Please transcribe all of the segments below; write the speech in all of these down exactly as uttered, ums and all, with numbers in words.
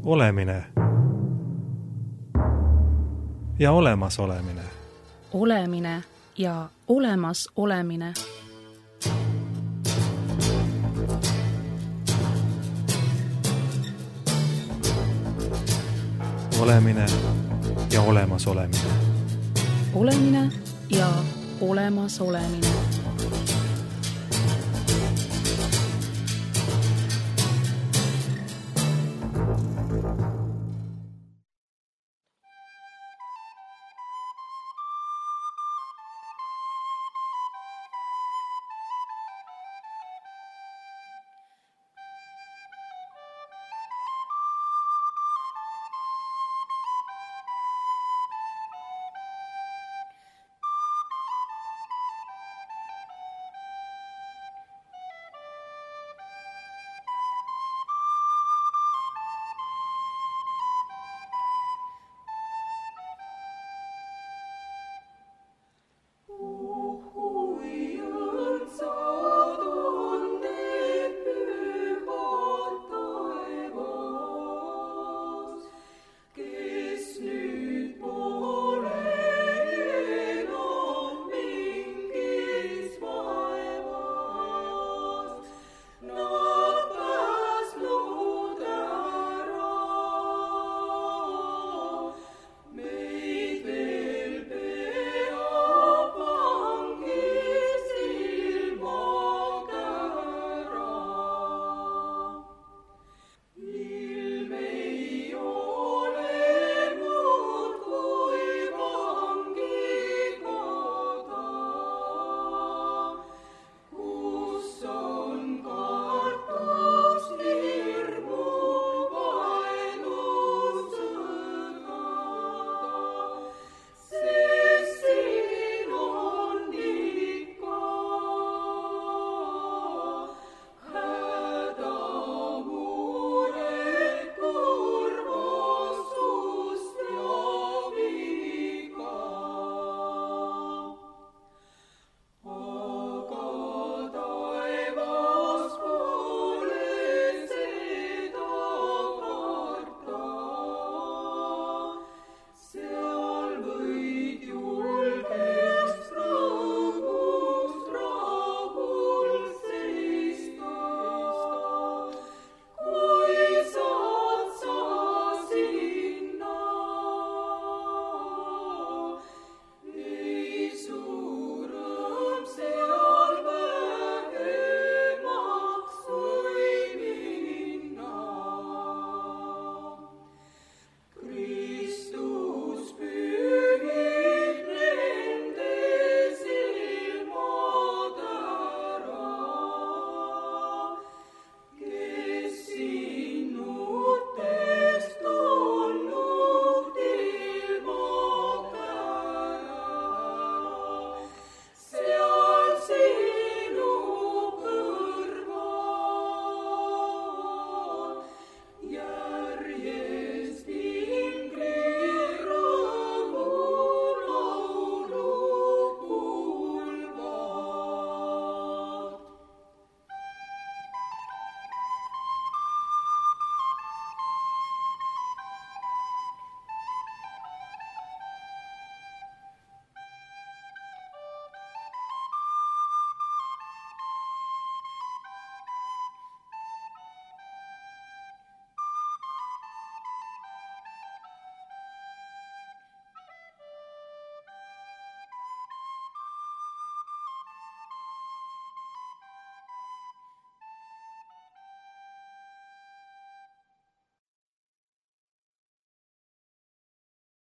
Olemine ja olemas olemine. Olemine ja olemas olemine. Olemine ja olemas olemine. Olemine ja olemas olemine.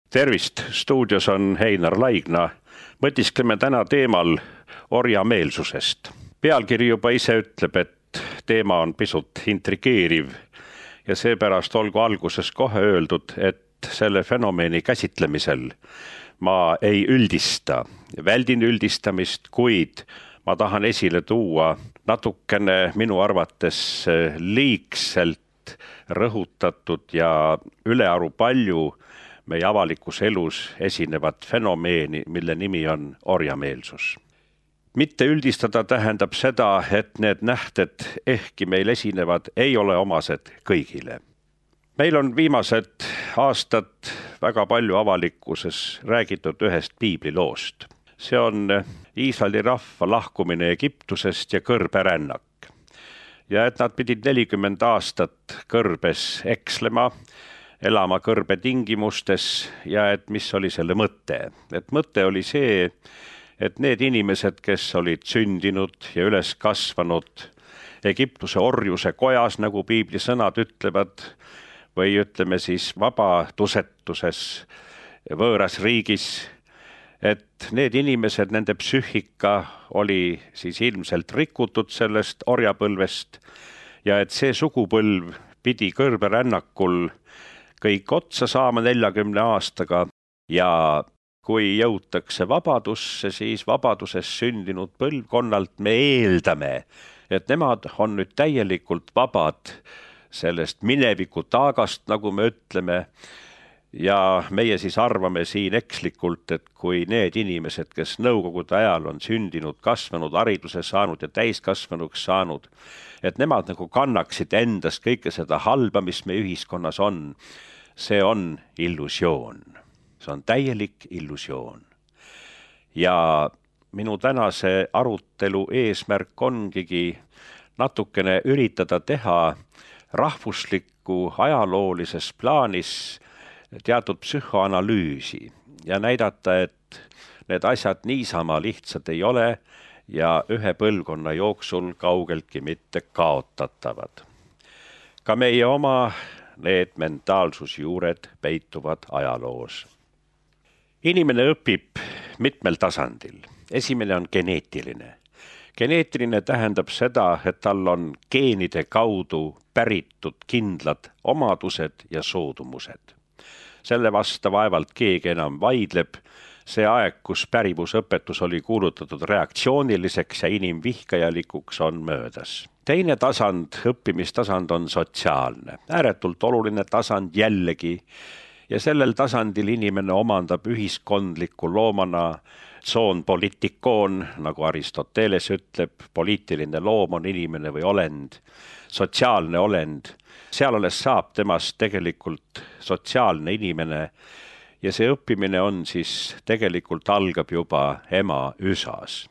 Tervist, stuudios on Heinar Laigna. Mõtiskleme täna teemal orjameelsusest. Pealkiri juba ise ütleb, et teema on pisut intrigeeriv ja seepärast olgu alguses kohe öeldud, et selle fenomeni käsitlemisel ma ei üldista. Väldin üldistamist, kuid ma tahan esile tuua natukene minu arvates liigselt rõhutatud ja ülearu palju meie avalikus elus esinevat fenomeni, mille nimi on orjameelsus. Mitte üldistada tähendab seda, et need nähted ehkki meil esinevad, ei ole omased kõigile. meil on viimased aastad väga palju avalikkuses räägitud ühest piibliloost. See on Iisraeli rahva lahkumine Egiptusest ja kõrberännak. Ja et nad pidid nelikümmend aastat kõrbes ekslema, elama kõrbe tingimustes ja et mis oli selle mõte. Et mõte oli see, et need inimesed, kes olid sündinud ja üles kasvanud Egiptuse orjuse kojas, nagu piibli sõnad ütlevad, või ütleme siis vabadusetuses võõras riigis, et need inimesed, nende psüühika oli siis ilmselt rikutud sellest orjapõlvest ja et see sugupõlv pidi kõrberännakul kõik otsa saama neljakümne aastaga ja kui jõutakse vabadusse, siis vabaduses sündinud põlvkonnalt me eeldame, et nemad on nüüd täielikult vabad sellest mineviku taagast, nagu me ütleme, ja meie siis arvame siin ekslikult, et kui need inimesed, kes nõukogude ajal on sündinud, kasvanud, hariduse saanud ja täiskasvanuks saanud, et nemad nagu kannaksid endast kõike seda halba, mis meie ühiskonnas on, see on illusioon. See on täielik illusioon. Ja minu tänase arutelu eesmärk ongigi natukene üritada teha rahvuslikku ajaloolises plaanis teatud psühhoanalüüsi ja näidata, et need asjad niisama lihtsad ei ole ja ühe põlvkonna jooksul kaugeltki mitte kaotatavad. Ka meie oma need mentaalsusjuured peituvad ajaloos. Inimene õpib mitmel tasandil. Esimene on geneetiline. Geneetiline tähendab seda, et tal on geenide kaudu päritud kindlad omadused ja soodumused. Selle vasta vaevalt keegi enam vaidleb. See aeg, kus pärivusõpetus oli kuulutatud reaktsiooniliseks ja inimvihkajalikuks, on möödas. Teine tasand, õppimistasand on sotsiaalne. Ääretult oluline tasand jällegi. Ja sellel tasandil inimene omandab ühiskondliku loomana zoon politikoon, nagu Aristoteles ütleb, poliitiline loom on inimene või olend, sotsiaalne olend. Seal alles saab temast tegelikult sotsiaalne inimene ja see õppimine on siis tegelikult algab juba ema üsas.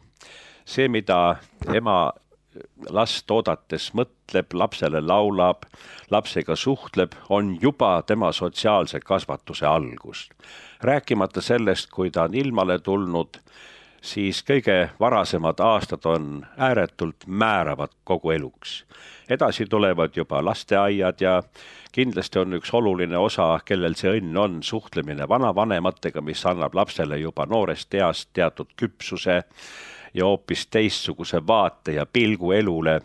See, mida ema last oodates mõtleb, lapsele laulab, lapsega suhtleb, on juba tema sotsiaalse kasvatuse algus. Rääkimata sellest, kui ta on ilmale tulnud, siis kõige varasemad aastad on ääretult määravad kogu eluks. Edasi tulevad juba lasteaiad ja kindlasti on üks oluline osa, kellel see õnn on, suhtlemine vanavanematega, mis annab lapsele juba noorest east teatud küpsuse ja hoopis teistsuguse vaate ja pilgu elule.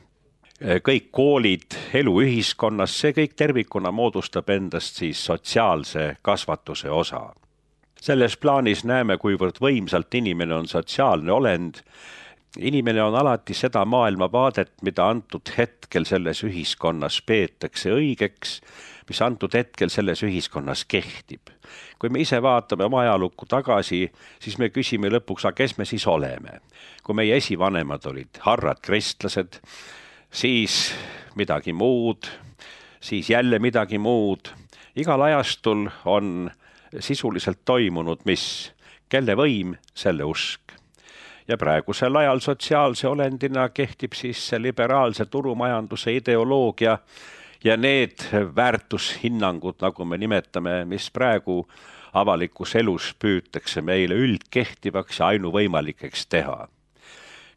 Kõik koolid, elu ühiskonnas, see kõik tervikuna moodustab endast siis sotsiaalse kasvatuse osa. Selles plaanis näeme, kuivõrd võimsalt inimene on sotsiaalne olend. Inimene on alati seda maailmavaadet, mida antud hetkel selles ühiskonnas peetakse õigeks, mis antud hetkel selles ühiskonnas kehtib. Kui me ise vaatame oma ajalukku tagasi, siis me küsime lõpuks, aga kes me siis oleme. Kui meie esivanemad olid harrad kristlased, siis midagi muud, siis jälle midagi muud. Igal ajastul on sisuliselt toimunud, mis kelle võim, selle usk. Ja praegusel ajal sotsiaalse olendina kehtib siis see liberaalse turumajanduse ideoloogia ja need väärtushinnangud, nagu me nimetame, mis praegu avalikus elus püütakse meile üldkehtivaks ja ainuvõimalikeks teha.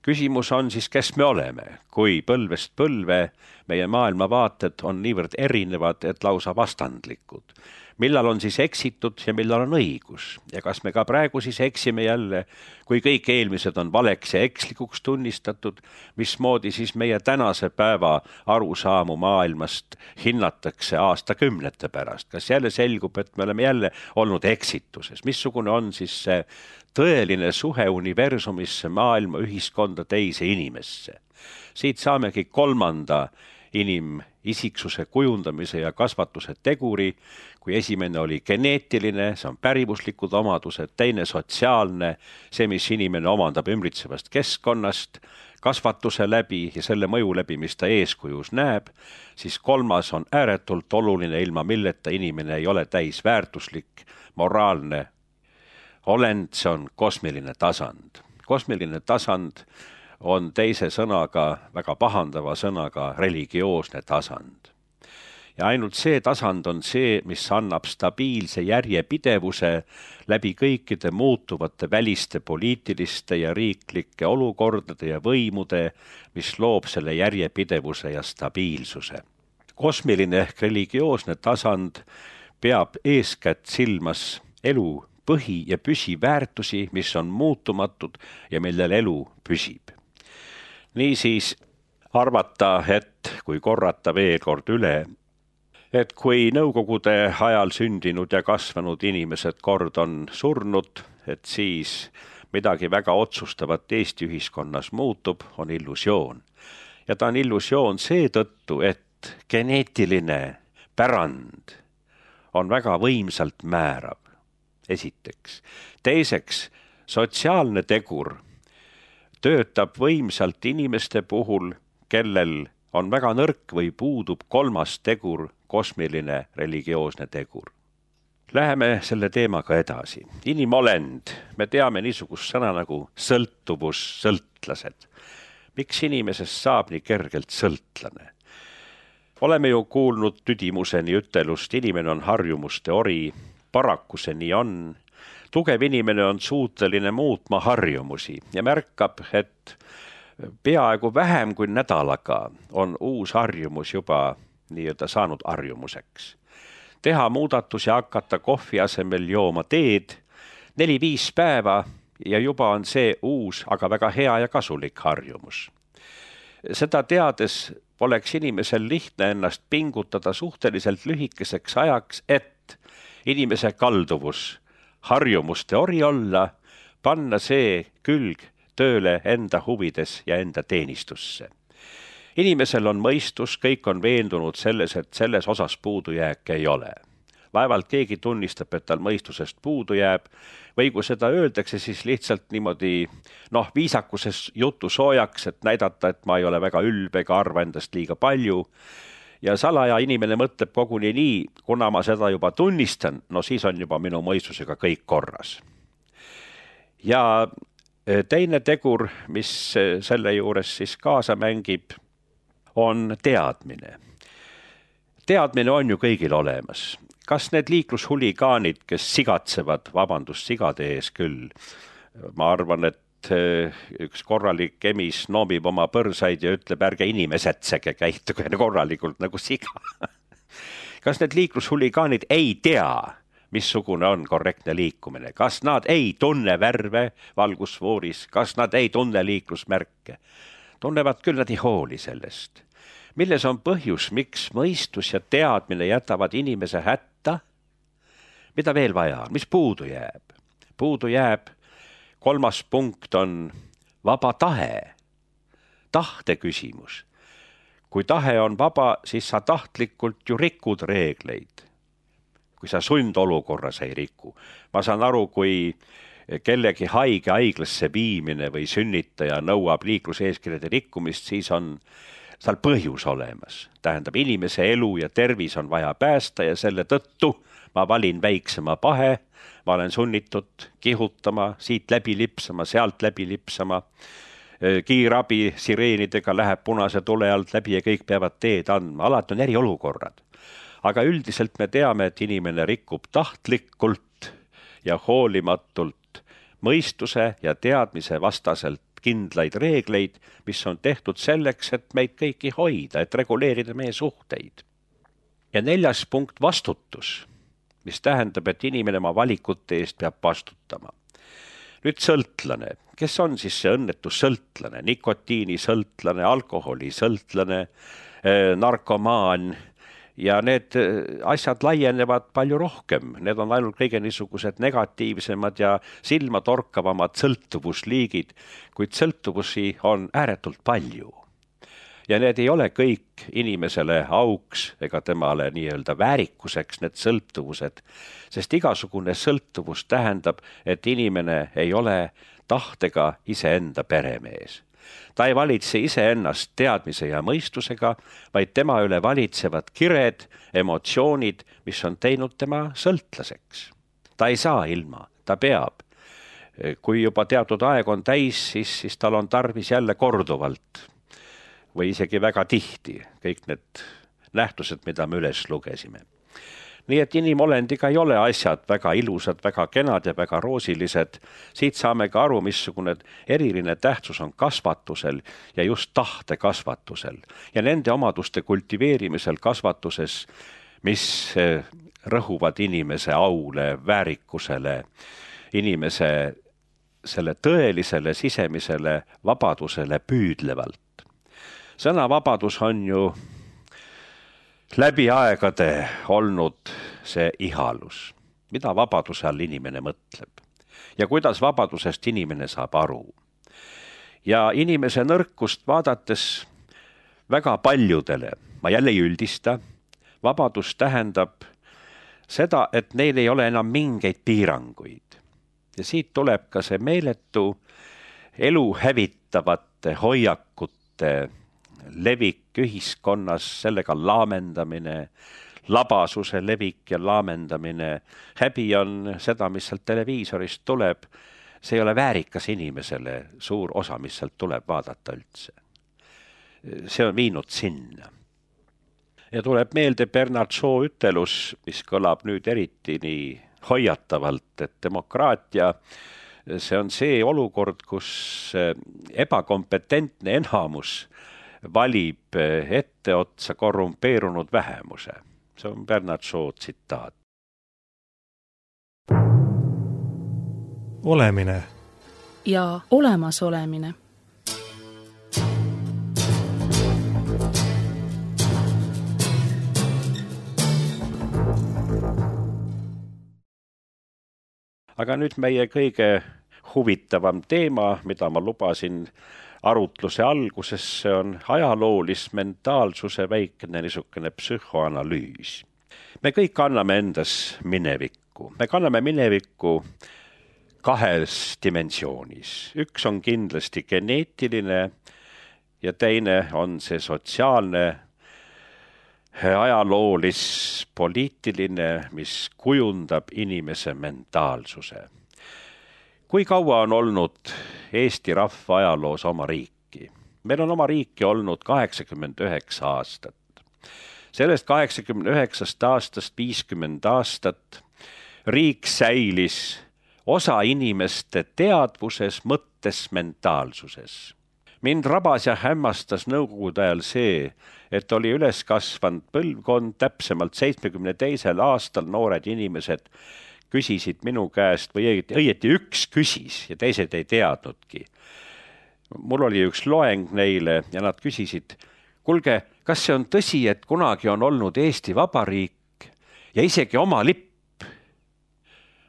Küsimus on siis, kes me oleme, kui põlvest põlve meie maailmavaated on niivõrd erinevad, et lausa vastandlikud. Millal on siis eksitud ja millal on õigus? Ja kas me ka praegu siis eksime jälle, kui kõik eelmised on valeks ja ekslikuks tunnistatud, mismoodi siis meie tänase päeva arusaamu maailmast hinnatakse aastakümnete pärast? Kas jälle selgub, et me oleme jälle olnud eksituses? Missugune on siis see tõeline suhe universumisse, maailma, ühiskonda, teise inimesse? Siit saamegi kolmanda inimisiksuse kujundamise ja kasvatuse teguri, kui esimene oli geneetiline, see on pärivuslikud omadused, teine sotsiaalne, see, mis inimene omandab ümbritsevast keskkonnast, kasvatuse läbi ja selle mõju läbi, mis ta eeskujus näeb, siis kolmas on ääretult oluline, ilma milleta inimene ei ole täisväärtuslik, moraalne olend, see on kosmiline tasand. Kosmiline tasand on teise sõnaga, väga pahandava sõnaga religioosne tasand. Ja ainult see tasand on see, mis annab stabiilse järjepidevuse läbi kõikide muutuvate väliste poliitiliste ja riiklike olukordade ja võimude, mis loob selle järjepidevuse ja stabiilsuse. Kosmiline ehk religioosne tasand peab eeskätt silmas elu põhi- ja püsiväärtusi, mis on muutumatud ja millel elu püsib. Niisiis arvata, et kui korrata veel kord üle, et kui nõukogude ajal sündinud ja kasvanud inimesed kord on surnud, et siis midagi väga otsustavat Eesti ühiskonnas muutub, on illusioon. Ja ta on illusioon seetõttu, et geneetiline pärand on väga võimsalt määrav, esiteks. Teiseks, sotsiaalne tegur töötab võimsalt inimeste puhul, kellel on väga nõrk või puudub kolmas tegur, kosmiline religioosne tegur. Läheme selle teemaga edasi. Inimolend, me teame niisugust sõna nagu sõltuvus, sõltlased. Miks inimesest saab nii kergelt sõltlane? Oleme ju kuulnud tüdimuseni ütelust, inimene on harjumuste ori, paraku see nii on. Tugev inimene on suuteline muutma harjumusi ja märkab, et peaaegu vähem kui nädalaga on uus harjumus juba nii-öelda saanud harjumuseks. Teha muudatus ja hakata kohvi asemel jooma teed neli-viis päeva ja juba on see uus, aga väga hea ja kasulik harjumus. Seda teades poleks inimesel lihtne ennast pingutada suhteliselt lühikeseks ajaks, et inimese kalduvus harjumuste ori olla, panna see külg tööle enda huvides ja enda teenistusse. Inimesel on mõistus, kõik on veendunud selles, et selles osas puudujääk ei ole. Vaevalt keegi tunnistab, et tal mõistusest puudu jääb, või kui seda öeldakse, siis lihtsalt niimoodi noh, viisakuses jutu soojaks, et näidata, et ma ei ole väga ülbe ega arva endast liiga palju. Ja salaja inimene mõtleb koguni nii, kuna ma seda juba tunnistan, no siis on juba minu mõistusega kõik korras. Ja teine tegur, mis selle juures siis kaasa mängib, on teadmine. Teadmine on ju kõigil olemas. Kas need liiklushuligaanid, kes sigatsevad, vabandust sigade ees küll, ma arvan, et üks korralik emis noomib oma põrsaid ja ütleb, ärge inimesetsege, käituge korralikult nagu siga. Kas need liiklushuligaanid ei tea, missugune on korrektne liikumine? Kas nad ei tunne värve valgusfooris? Kas nad ei tunne liiklusmärke? Tunnevad küll, nad ei hooli sellest. Milles on põhjus, miks mõistus ja teadmine jätavad inimese hätta? Mida veel vaja on? Mis puudu jääb? Puudu jääb, kolmas punkt on vaba tahe, tahte küsimus. Kui tahe on vaba, siis sa tahtlikult ju rikud reegleid. Kui sa sundolukorras ei riku. Ma saan aru, kui kellegi haige haiglasse viimine või sünnitaja nõuab liikluseeskirjade rikkumist, siis on seal põhjus olemas. Tähendab, inimese elu ja tervis on vaja päästa ja selle tõttu ma valin väiksema pahe, ma olen sunnitud kihutama, siit läbi lipsama, sealt läbi lipsama. Kiirabi sireenidega läheb punase tule alt läbi ja kõik peavad teed andma. Alati on eriolukorrad. Aga üldiselt me teame, et inimene rikub tahtlikult ja hoolimatult mõistuse ja teadmise vastaselt kindlaid reegleid, mis on tehtud selleks, et meid kõiki hoida, et reguleerida meie suhteid. Ja neljas punkt vastutus, mis tähendab, et inimene oma valikute eest peab vastutama. Nüüd sõltlane. Kes on siis see õnnetu sõltlane? Nikotiini sõltlane, alkoholi sõltlane, narkomaan. Ja need asjad laienevad palju rohkem. Need on ainult kõige niisugused negatiivsemad ja silmatorkavamad sõltuvusliigid, kuid sõltuvusi on ääretult palju. Ja need ei ole kõik inimesele auks ega temale nii-öelda väärikuseks need sõltuvused, sest igasugune sõltuvus tähendab, et inimene ei ole tahtega iseenda peremees. ta ei valitse iseennast teadmise ja mõistusega, vaid tema üle valitsevad kired, emotsioonid, mis on teinud tema sõltlaseks. Ta ei saa ilma, ta peab. Kui juba teatud aeg on täis, siis, siis tal on tarvis jälle korduvalt või isegi väga tihti kõik need nähtused, mida me üles lugesime. Nii et inimolendiga ei ole asjad väga ilusad, väga kenad ja väga roosilised. Siit saame ka aru, missugune eriline tähtsus on kasvatusel ja just tahte kasvatusel ja nende omaduste kultiveerimisel kasvatuses, mis rõhuvad inimese aule, väärikusele, inimese selle tõelisele sisemisele vabadusele püüdlevalt. Sõnavabadus on ju läbi aegade olnud see ihalus, mida vabaduse all inimene mõtleb ja kuidas vabadusest inimene saab aru. Ja inimese nõrkust vaadates väga paljudele, ma jälle ei üldista, vabadus tähendab seda, et neil ei ole enam mingeid piiranguid. Ja siit tuleb ka see meeletu elu hävitavate hoiakute levik ühiskonnas, sellega laamendamine, labasuse levik ja laamendamine. Häbi on seda, mis sealt televiisorist tuleb. See ei ole väärikas inimesele suur osa, mis sealt tuleb vaadata üldse. See on viinud sinna. Ja tuleb meelde Bernard Shaw ütelus, mis kõlab nüüd eriti nii hoiatavalt, et demokraatia, see on see olukord, kus ebakompetentne enamus valib etteotsa korrumpeerunud vähemuse. See on Bernard Shaw tsitaat. Olemine ja olemasolemine. Aga nüüd meie kõige huvitavam teema, mida ma lubasin arutluse alguses, see on ajaloolis-mentaalsuse väikene niisugune psühhoanalüüs. Me kõik anname endas minevikku. Me kanname minevikku kahes dimensioonis. Üks on kindlasti geneetiline ja teine on see sotsiaalne, ajaloolis, poliitiline, mis kujundab inimese mentaalsuse. Kui kaua on olnud Eesti rahva ajaloos oma riiki? Meil on oma riiki olnud kaheksakümmend üheksa aastat. Sellest kaheksakümmend üheksast aastast viiskümmend aastat riik säilis osa inimeste teadvuses, mõttes, mentaalsuses. Mind rabas ja hämmastas nõukogude ajal see, et oli üles kasvanud põlvkond, täpsemalt seitsmekümne teisel aastal noored inimesed küsisid minu käest, või õieti üks küsis ja teised ei teadnudki. Mul oli üks loeng neile ja nad küsisid, kuulge, kas see on tõsi, et kunagi on olnud Eesti Vabariik ja isegi oma lipp?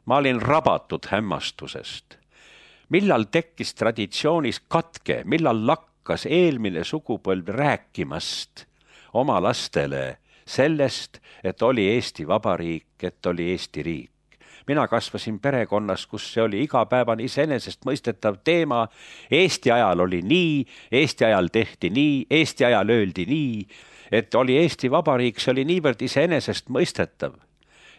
Ma olin rabatud hämmastusest. Millal tekkis traditsioonis katke, millal lakkas eelmine sugupõlv rääkimast oma lastele sellest, et oli Eesti Vabariik, et oli Eesti riik. Mina kasvasin perekonnas, kus see oli igapäevani iseenesest mõistetav teema. Eesti ajal oli nii, Eesti ajal tehti nii, Eesti ajal öeldi nii, et oli Eesti Vabariik, see oli niivõrd iseenesest mõistetav,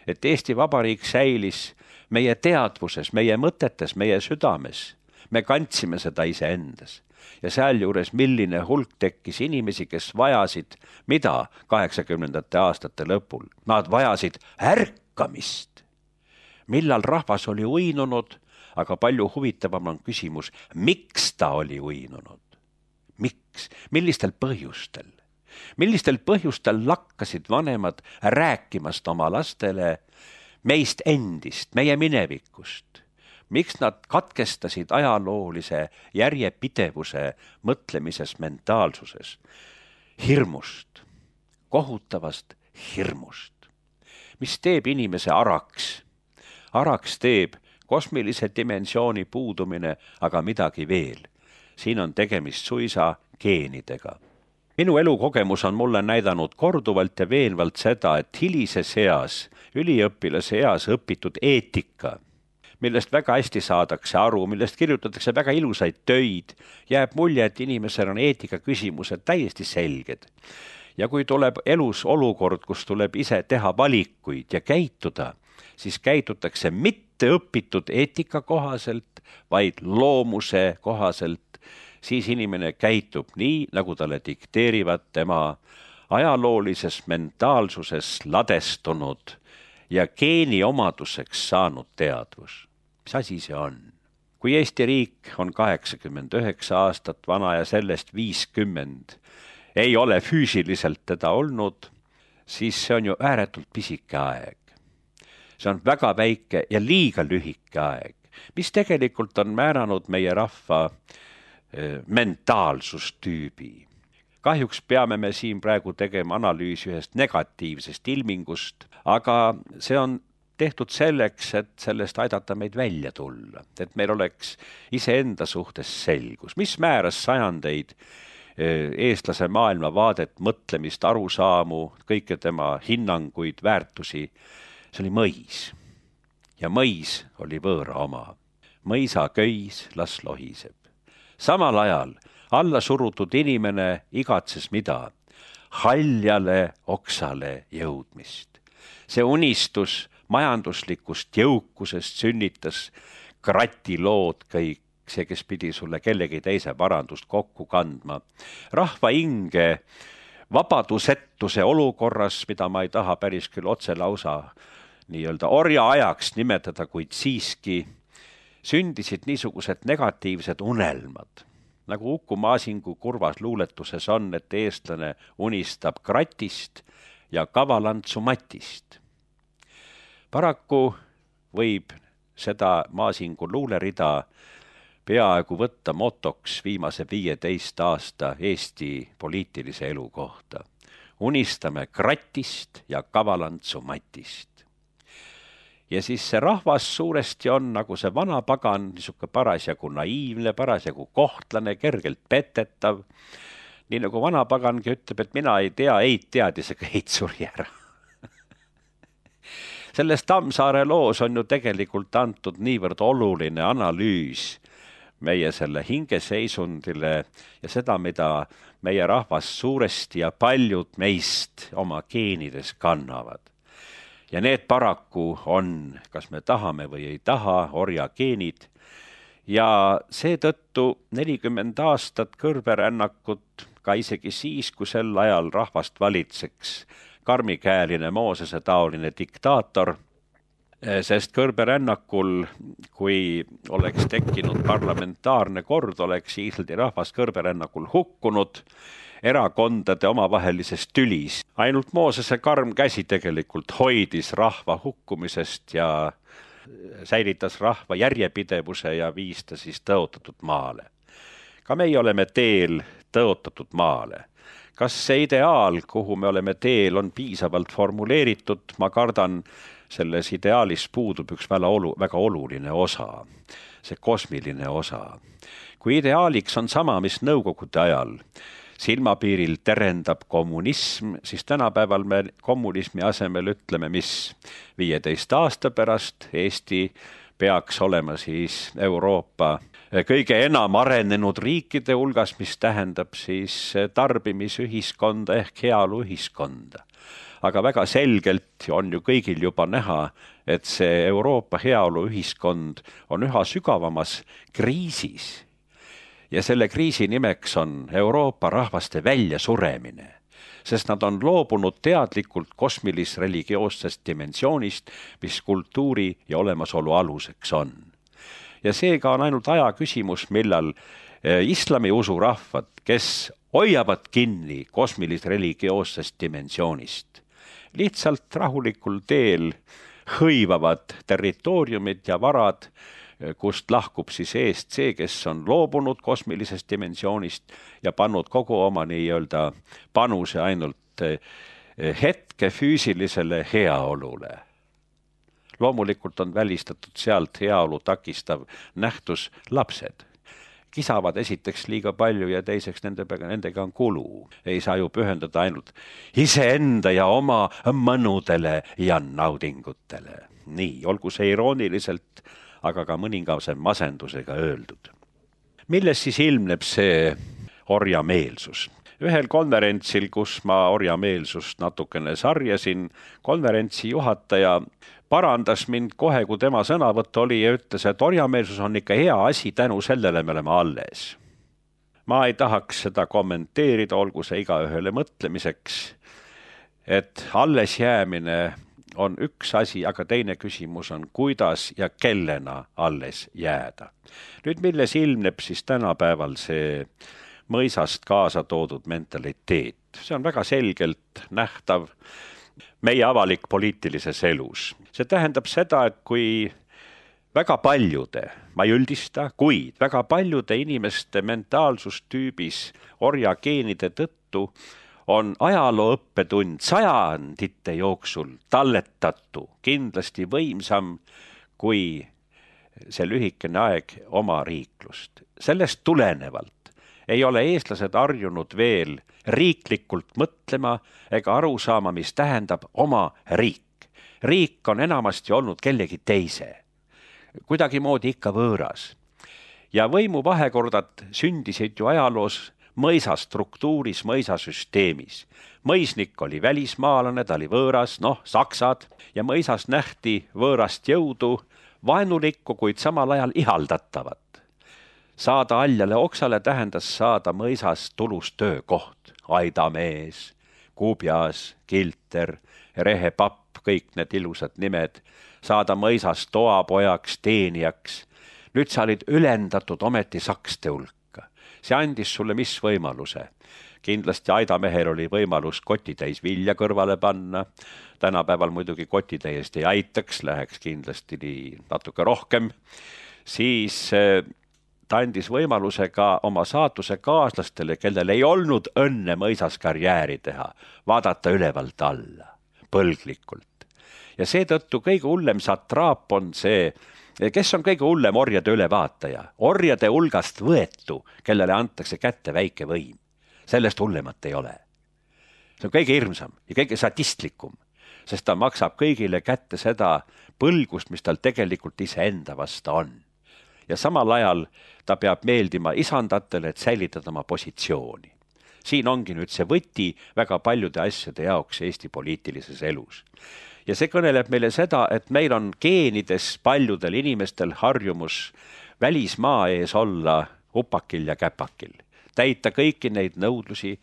et Eesti Vabariik säilis meie teadvuses, meie mõtetes, meie südames. Me kandsime seda iseendas. Ja sealjuures milline hulk tekkis inimesi, kes vajasid, mida kaheksakümnendate aastate lõpul? Nad vajasid ärkamist. Millal rahvas oli uinunud, aga palju huvitavam on küsimus, miks ta oli uinunud? Miks? Millistel põhjustel? Millistel põhjustel lakkasid vanemad rääkimast oma lastele meist endist, meie minevikust? Miks nad katkestasid ajaloolise järjepidevuse mõtlemises, mentaalsuses? Hirmust, kohutavast hirmust. Mis teeb inimese araks? Araks teeb kosmilise dimensiooni puudumine, aga midagi veel. Siin on tegemist suisa geenidega. Minu elukogemus on mulle näidanud korduvalt ja veenvalt seda, et hilises eas, üliõpilase eas õpitud eetika, millest väga hästi saadakse aru, millest kirjutatakse väga ilusaid töid, jääb mulje, et inimesel on eetika küsimused täiesti selged. Ja kui tuleb elus olukord, kus tuleb ise teha valikuid ja käituda, siis käitutakse mitte õpitud eetika kohaselt, vaid loomuse kohaselt, siis inimene käitub nii, nagu talle dikteerivad tema ajaloolises mentaalsuses ladestunud ja geeni omaduseks saanud teadvus. Mis asi see on? Kui Eesti riik on kaheksakümmend üheksa aastat vana ja sellest viiskümmend ei ole füüsiliselt teda olnud, siis see on ju ääretult pisike aeg. See on väga väike ja liiga lühike aeg, mis tegelikult on määranud meie rahva eh, mentaalsustüübi. Kahjuks peame me siin praegu tegema analüüsi ühest negatiivsest ilmingust, aga see on tehtud selleks, et sellest aidata meid välja tulla, et meil oleks iseenda suhtes selgus, mis määras sajandeid eestlase maailma vaadet, mõtlemist, arusaamu, kõike tema hinnanguid, väärtusi. See oli mõis ja mõis oli võõra oma. Mõisa köis, las lohiseb. Samal ajal alla surutud inimene igatses mida? Haljale oksale jõudmist. See unistus majanduslikust jõukusest sünnitas kratilood kõik, see, kes pidi sulle kellegi teise varandust kokku kandma. Rahva inge vabadusetuse olukorras, mida ma ei taha päris küll otse lausa nii-öelda orja ajaks nimetada, kuid siiski sündisid niisugused negatiivsed unelmad. Nagu Uku Maasingu kurvas luuletuses on, et eestlane unistab kratist ja kavalantsu matist. Paraku võib seda Maasingu luulerida peaaegu võtta motoks viimase viieteist aasta Eesti poliitilise elu kohta. Unistame kratist ja kavalantsu matist. Ja siis see rahvas suuresti on nagu see vana pagan, niisugune parasjagu naiivne, parasjagu kohtlane, kergelt petetav. Nii nagu vana pagangi ütleb, et mina ei tea, ei teadis, aga eit suri ära. Selles Tammsaare loos on ju tegelikult antud niivõrd oluline analüüs meie selle hingeseisundile ja seda, mida meie rahvas suuresti ja paljud meist oma geenides kannavad. Ja need paraku on, kas me tahame või ei taha, orja geenid. Ja seetõttu nelikümmend aastat kõrberännakut, ka isegi siis, kui sel ajal rahvast valitseks karmikäeline Moosese taoline diktaator, sest kõrberännakul, kui oleks tekkinud parlamentaarne kord, oleks Iislandi rahvas kõrberännakul hukkunud erakondade omavahelisest tülis. Ainult Moosese karm käsi tegelikult hoidis rahva hukkumisest ja säilitas rahva järjepidevuse ja viis ta siis tõotatud maale. Ka meie oleme teel tõotatud maale. Kas see ideaal, kuhu me oleme teel, on piisavalt formuleeritud? Ma kardan, selles ideaalis puudub üks väga, olu, väga oluline osa, see kosmiline osa. Kui ideaaliks on sama, mis nõukogude ajal silmapiiril terendab kommunism, siis tänapäeval me kommunismi asemel ütleme, mis viieteist aasta pärast Eesti peaks olema siis Euroopa kõige enam arenenud riikide hulgas, mis tähendab siis tarbimisühiskonda ehk heaoluühiskonda. Aga väga selgelt on ju kõigil juba näha, et see Euroopa heaoluühiskond on üha sügavamas kriisis. Ja selle kriisi nimeks on Euroopa rahvaste väljasuremine, sest nad on loobunud teadlikult kosmilis-religioossest dimensioonist, mis kultuuri ja olemasolu aluseks on. Ja seega on ainult aja küsimus, millal islami usurahvad, kes hoiavad kinni kosmilis-religioossest dimensioonist, lihtsalt rahulikul teel hõivavad territooriumid ja varad, kust lahkub siis eest see, kes on loobunud kosmilisest dimensioonist ja pannud kogu oma nii-öelda panuse ainult hetke füüsilisele heaolule. Loomulikult on välistatud sealt heaolu takistav nähtus lapsed. Kisavad esiteks liiga palju ja teiseks nendega, nendega on kulu. Ei saa ju pühendada ainult iseenda ja oma mõnudele ja naudingutele. Nii, olgu see irooniliselt, aga ka mõningase masendusega öeldud. Milles siis ilmneb see orjameelsus? Ühel konverentsil, kus ma orjameelsust natukene sarjasin, konverentsi juhataja parandas mind kohe, kui tema sõnavõtt oli ja ütles, et orjameelsus on ikka hea asi, tänu sellele me oleme alles. Ma ei tahaks seda kommenteerida, olgu see igaühele mõtlemiseks, et alles jäämine on üks asi, aga teine küsimus on, kuidas ja kellena alles jääda. Nüüd, milles ilmneb siis tänapäeval see mõisast kaasa toodud mentaliteet. See on väga selgelt nähtav meie avalik poliitilises elus. See tähendab seda, et kui väga paljude, ma ei üldista, kuid väga paljude inimeste mentaalsustüübis orjageenide tõttu on ajaloo õppetund sajandite jooksul talletatu kindlasti võimsam kui see lühikene aeg oma riiklust. Sellest tulenevalt ei ole eestlased harjunud veel riiklikult mõtlema ega aru saama, mis tähendab oma riik. Riik on enamasti olnud kellegi teise, kuidagimoodi ikka võõras. Ja võimu vahekordad sündisid ju ajaloos mõisastruktuuris, mõisasüsteemis. Mõisnik oli välismaalane, ta oli võõras, noh, saksad, ja mõisas nähti võõrast jõudu, vaenulikku, kuid samal ajal ihaldatavat. Saada aljale oksale tähendas saada mõisas tulus töökoht. Aidamees, Kubjas, Kilter, Rehepapp, kõik need ilusad nimed. Saada mõisas toapojaks, teenijaks. Nüüd sa olid ülendatud ometi sakste hulka. See andis sulle mis võimaluse? Kindlasti Aidamehel oli võimalus kotitäis vilja kõrvale panna. Tänapäeval muidugi kotitäiest ei aitaks, läheks kindlasti natuke rohkem. Siis ta andis võimaluse ka oma saatuse kaaslastele, kellel ei olnud õnne mõisas karjääri teha, vaadata ülevalt alla, põlglikult. Ja seetõttu kõige hullem satraap on see, kes on kõige hullem orjade ülevaataja? Orjade hulgast võetu, kellele antakse kätte väike võim. Sellest hullemat ei ole. See on kõige hirmsam ja kõige sadistlikum, sest ta maksab kõigile kätte seda põlgust, mis tal tegelikult iseenda vasta on. Ja samal ajal ta peab meeldima isandatele, et säilitada oma positsiooni. Siin ongi nüüd see võti väga paljude asjade jaoks Eesti poliitilises elus. Ja see kõneleb meile seda, et meil on geenides paljudel inimestel harjumus välismaa ees olla upakil ja käpakil. Täita kõiki neid nõudlusi,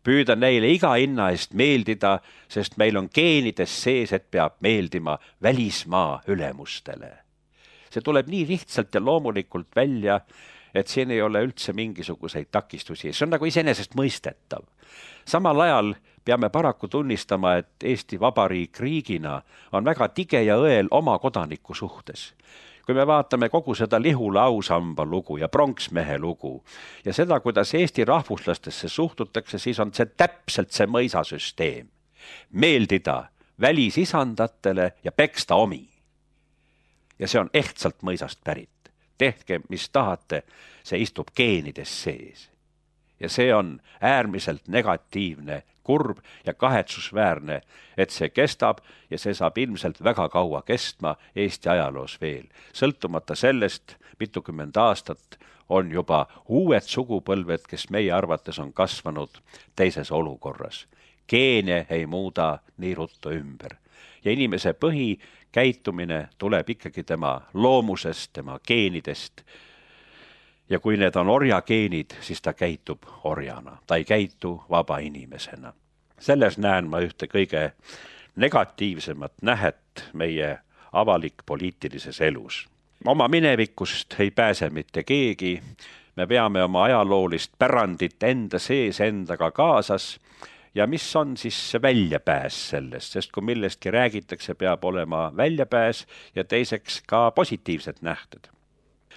püüda neile iga hinna eest meeldida, sest meil on geenides sees, et peab meeldima välismaa ülemustele. See tuleb nii lihtsalt ja loomulikult välja, et siin ei ole üldse mingisuguseid takistusi. See on nagu iseenesest mõistetav. Samal ajal peame paraku tunnistama, et Eesti Vabariik riigina on väga tige ja õel oma kodaniku suhtes. Kui me vaatame kogu seda Lihula ausamba lugu ja pronksmehe lugu ja seda, kuidas Eesti rahvuslastesse suhtutakse, siis on see täpselt see mõisasüsteem. Meeldida välisisandatele ja peksta omi. Ja see on ehtsalt mõisast pärit. Tehke, mis tahate, see istub geenides sees. Ja see on äärmiselt negatiivne, kurb ja kahetsusväärne, et see kestab ja see saab ilmselt väga kaua kestma Eesti ajaloos veel. Sõltumata sellest, mitukümmend aastat on juba uued sugupõlved, kes meie arvates on kasvanud teises olukorras. Geene ei muuda nii ruttu ümber. Ja inimese põhikäitumine tuleb ikkagi tema loomusest, tema geenidest. Ja kui need on orjageenid, siis ta käitub orjana. Ta ei käitu vaba inimesena. Selles näen ma ühte kõige negatiivsemat nähet meie avalik poliitilises elus. Oma minevikust ei pääse mitte keegi. Me peame oma ajaloolist pärandit enda sees endaga kaasas. Ja mis on siis väljapääs sellest, sest kui millestki räägitakse, peab olema väljapääs ja teiseks ka positiivsed nähted.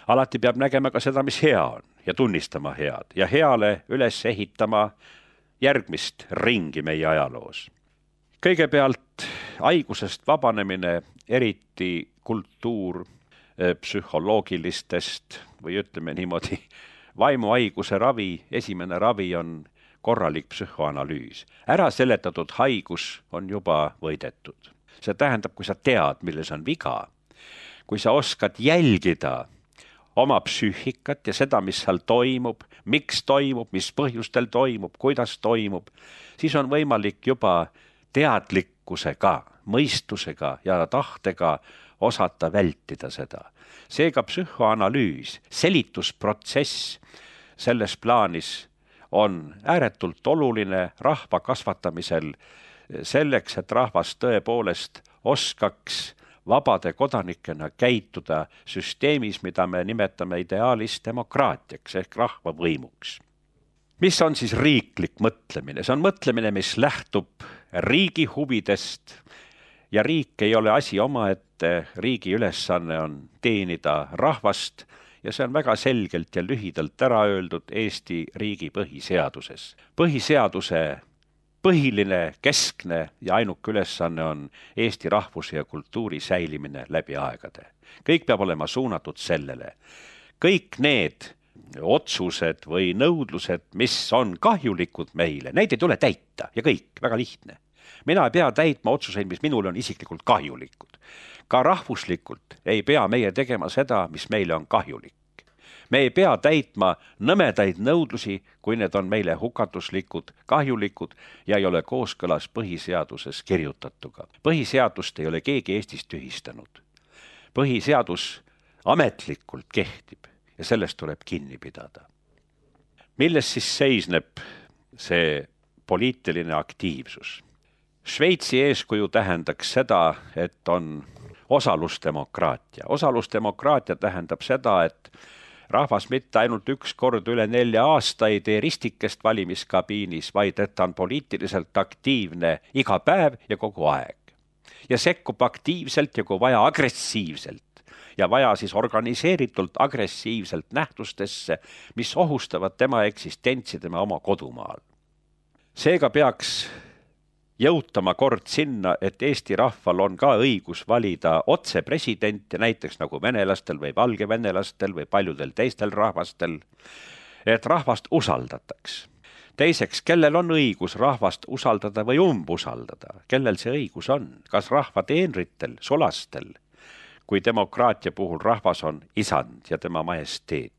Alati peab nägema ka seda, mis hea on ja tunnistama head ja heale üles ehitama järgmist ringi meie ajaloos. Kõigepealt haigusest vabanemine, eriti kultuur psühholoogilistest või ütleme niimoodi, vaimuhaiguse ravi, esimene ravi on korralik psühhoanalüüs. Ära seletatud haigus on juba võidetud. See tähendab, kui sa tead, milles on viga. kui sa oskad jälgida oma psüühikat ja seda, mis seal toimub, miks toimub, mis põhjustel toimub, kuidas toimub, siis on võimalik juba teadlikkusega, mõistusega ja tahtega osata vältida seda. Seega psühhoanalüüs, selitusprotsess selles plaanis on ääretult oluline rahva kasvatamisel selleks, et rahvas tõepoolest oskaks vabade kodanikena käituda süsteemis, mida me nimetame ideaalis demokraatiaks ehk rahvavõimuks. Mis on siis riiklik mõtlemine? See on mõtlemine, mis lähtub riigi huvidest ja riik ei ole asi omaette, riigi ülesanne on teenida rahvast ja see on väga selgelt ja lühidalt ära öeldud Eesti riigi põhiseaduses. Põhiseaduse põhiline, keskne ja ainuke ülesanne on Eesti rahvuse ja kultuuri säilimine läbi aegade. Kõik peab olema suunatud sellele. Kõik need otsused või nõudlused, mis on kahjulikud meile, neid ei tule täita ja kõik, väga lihtne. Mina ei pea täitma otsuseid, mis minule on isiklikult kahjulikud. Ka rahvuslikult ei pea meie tegema seda, mis meile on kahjulik. Me ei pea täitma nõmedaid nõudlusi, kui need on meile hukatuslikud, kahjulikud ja ei ole kooskõlas põhiseaduses kirjutatuga. Põhiseadust ei ole keegi Eestis tühistanud. Põhiseadus ametlikult kehtib ja sellest tuleb kinni pidada. Milles siis seisneb see poliitiline aktiivsus? Šveitsi eeskuju tähendaks seda, et on osalusdemokraatia. Osalusdemokraatia tähendab seda, et rahvas mitte ainult üks kord üle nelja aasta ei tee ristikest valimiskabiinis, vaid et ta on poliitiliselt aktiivne iga päev ja kogu aeg. Ja sekkub aktiivselt ja kui vaja agressiivselt ja vaja siis organiseeritult agressiivselt nähtustesse, mis ohustavad tema eksistentsi tema oma kodumaal. Seega peaks jõutama kord sinna, et Eesti rahval on ka õigus valida otse presidenti, näiteks nagu venelastel või valgevenelastel või paljudel teistel rahvastel, et rahvast usaldataks. Teiseks, kellel on õigus rahvast usaldada või umbusaldada? Kellel see õigus on? Kas rahva teenritel, sulastel, kui demokraatia puhul rahvas on isand ja tema majesteet?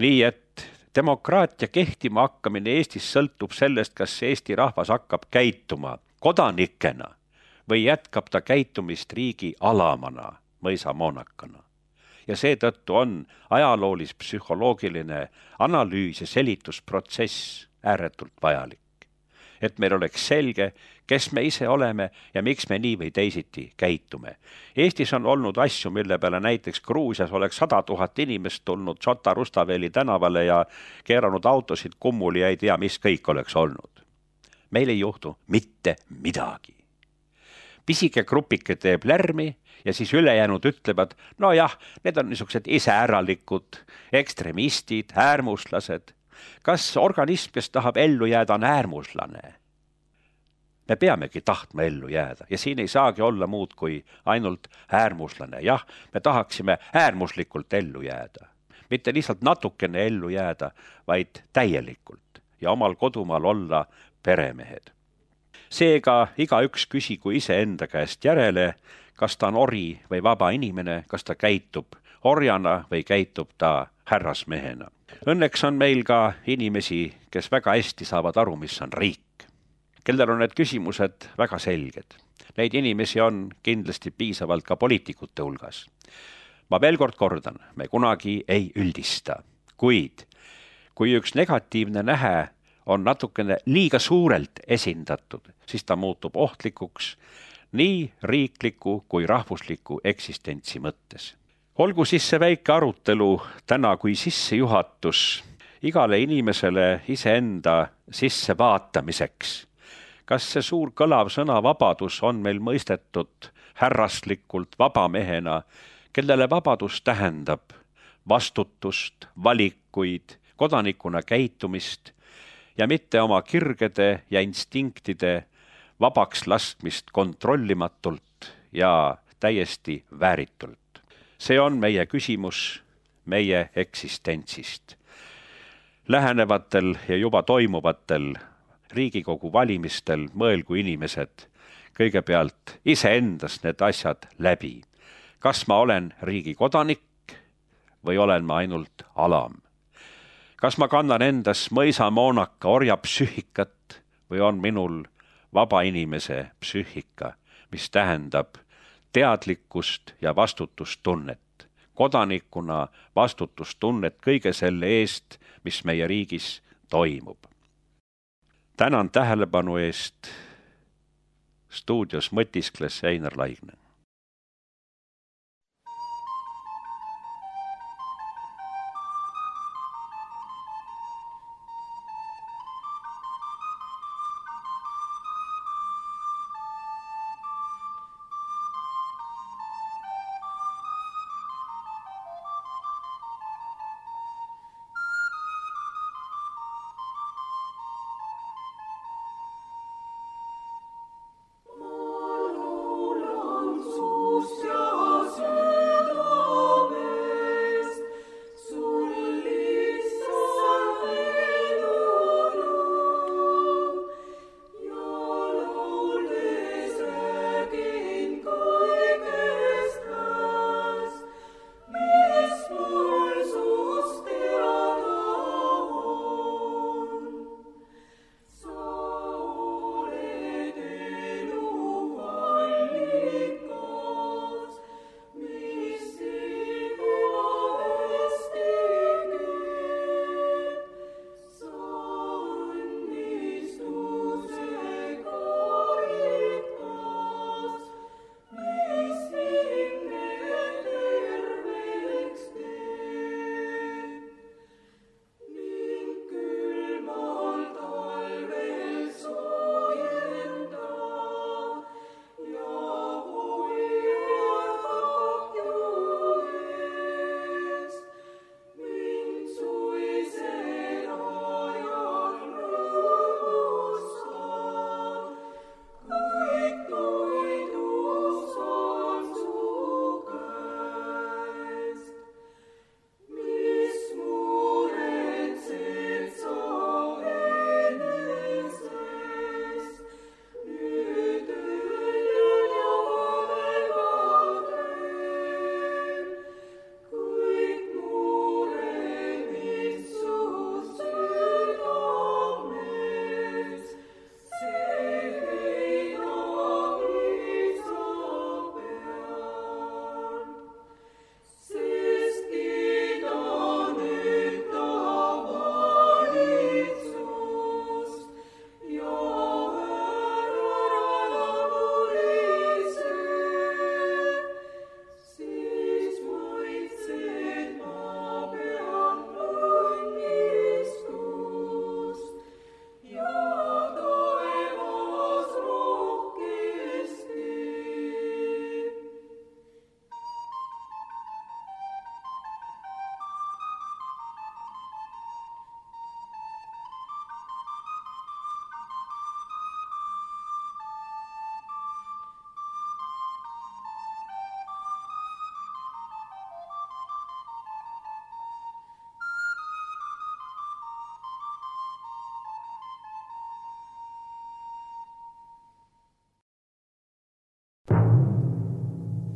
Nii et demokraatia kehtima hakkamine Eestis sõltub sellest, kas Eesti rahvas hakkab käituma kodanikena või jätkab ta käitumist riigi alamana, mõisamoonakana. Ja seetõttu on ajaloolis psühholoogiline analüüs ja selitusprotsess ääretult vajalik. Et meil oleks selge, kes me ise oleme ja miks me nii või teisiti käitume. Eestis on olnud asju, mille peale näiteks Gruusias oleks sada tuhat inimest tulnud Šota Rustaveli tänavale ja keeranud autosid kummuli ja ei tea, mis kõik oleks olnud. Meil ei juhtu mitte midagi. Pisike grupike teeb lärmi ja siis ülejäänud ütlevad, no jah, need on niisugused iseäralikud, ekstremistid, äärmuslased. Kas organism, kes tahab ellu jääda, on äärmuslane? Me peamegi tahtma ellu jääda ja siin ei saagi olla muud kui ainult äärmuslane. Jah, me tahaksime äärmuslikult ellu jääda. Mitte lihtsalt natukene ellu jääda, vaid täielikult ja omal kodumaal olla peremehed. Seega igaüks küsigu ise enda käest järele, kas ta on ori või vaba inimene, kas ta käitub orjana või käitub ta härrasmehena. Õnneks on meil ka inimesi, kes väga hästi saavad aru, mis on riik, kellel on need küsimused väga selged. Neid inimesi on kindlasti piisavalt ka poliitikute hulgas. Ma veel kord kordan, me kunagi ei üldista, kuid kui üks negatiivne nähe on natukene liiga suurelt esindatud, siis ta muutub ohtlikuks nii riikliku kui rahvusliku eksistentsi mõttes. Olgu siis see väike arutelu täna kui sissejuhatus igale inimesele iseenda sissevaatamiseks. Kas see suur kõlav sõna vabadus on meil mõistetud härraslikult vabamehena, kellele vabadus tähendab vastutust, valikuid, kodanikuna käitumist ja mitte oma kirgede ja instinktide vabaks laskmist kontrollimatult ja täiesti vääritult. See on meie küsimus meie eksistentsist. Lähenevatel ja juba toimuvatel Riigikogu valimistel mõelgu inimesed kõigepealt iseendast need asjad läbi. kas ma olen riigi kodanik või olen ma ainult alam? Kas ma kannan endas mõisamoonaka orja psüühikat või on minul vaba inimese psüühika, mis tähendab teadlikkust ja vastutustunnet, kodanikuna vastutustunnet kõige selle eest, mis meie riigis toimub. Tänan tähelepanu eest. Stuudios mõtiskles Heinar Laigna.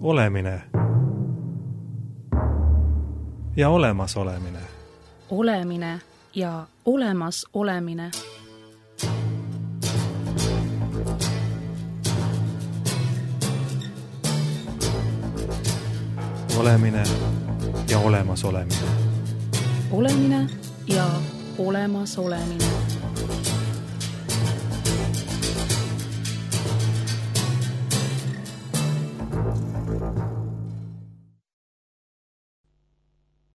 Olemine ja olemas olemine. Olemine ja olemas olemine. Olemine ja olemas olemine. Olemine ja olemas olemine.